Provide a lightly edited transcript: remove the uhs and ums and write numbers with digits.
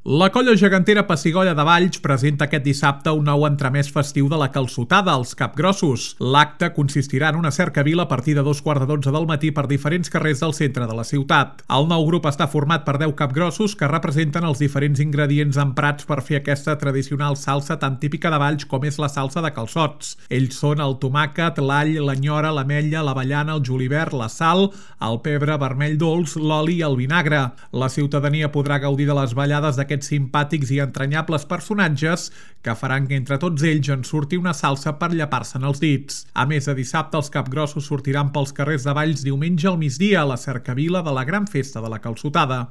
La colla gegantera Pessigolles de Valls presenta aquest dissabte un nou entremès festiu de la calçotada als Capgrossos. L'acte consistirà en una cercavila a partir de 2:15 del matí per diferents carrers del centre de la ciutat. El nou grup està format per 10 capgrossos que representen els diferents ingredients emprats per fer aquesta tradicional salsa tan típica de Valls com és la salsa de calçots. Ells són el tomàquet, l'all, l'anyora, l'ametlla, l'avellana, el julivert, la sal, el pebre vermell dolç, l'oli i el vinagre. La ciutadania podrà gaudir de les ballades d'aquests simpàtics i entranyables personatges que faran que entre tots ells en surti una salsa per llepar-se'n els dits. A més, de dissabte els capgrossos sortiran pels carrers de Valls diumenge al migdia a la cercavila de la gran festa de la calçotada.